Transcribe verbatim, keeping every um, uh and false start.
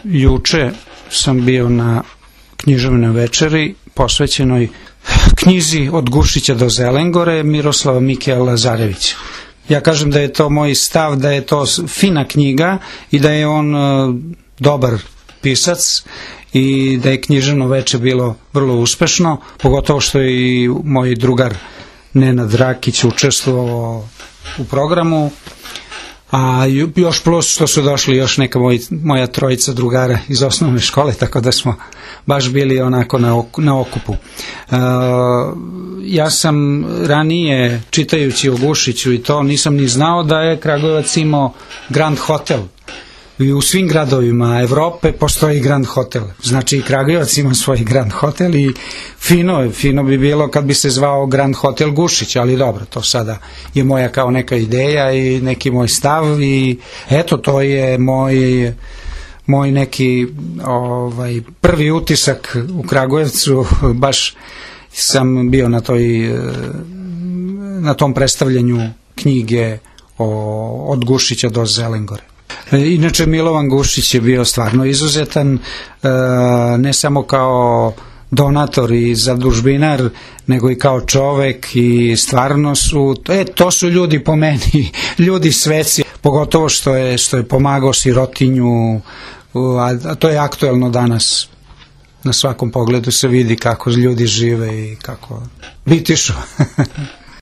Juče sam bio na književnoj večeri posvećenoj knjizi Od Gušića do Zelengore Miroslava Mikija Lazarevića. Ja kažem da je to moj stav, da je to fina knjiga i da je on dobar pisac i da je književno veče bilo vrlo uspešno, pogotovo što je i moj drugar Nenad Rakić učestvovao u programu, a još plus što su došli još neka moj, moja trojica drugara iz osnovne škole, tako da smo baš bili onako na, ok, na okupu. Uh, ja sam ranije, čitajući o Gušiću i to, nisam ni znao da je Kragujevac imao Grand Hotel. I u svim gradovima Evrope postoji Grand Hotel. Znači i Kragujevac ima svoj Grand Hotel i fino, fino bi bilo kad bi se zvao Grand Hotel Gušić, ali dobro, to sada je moja kao neka ideja i neki moj stav i eto, to je moj, moj neki ovaj, prvi utisak u Kragujevcu. Baš sam bio na toj, na tom predstavljanju knjige o, Od Gušića do Zelengore. Inače, Milovan Gušić je bio stvarno izuzetan, ne samo kao donator i zadužbinar, nego i kao čovek i stvarno su, e, to su ljudi po meni, ljudi sveci, pogotovo što je, što je pomagao sirotinju, a to je aktuelno danas. Na svakom pogledu se vidi kako ljudi žive i kako bitišu.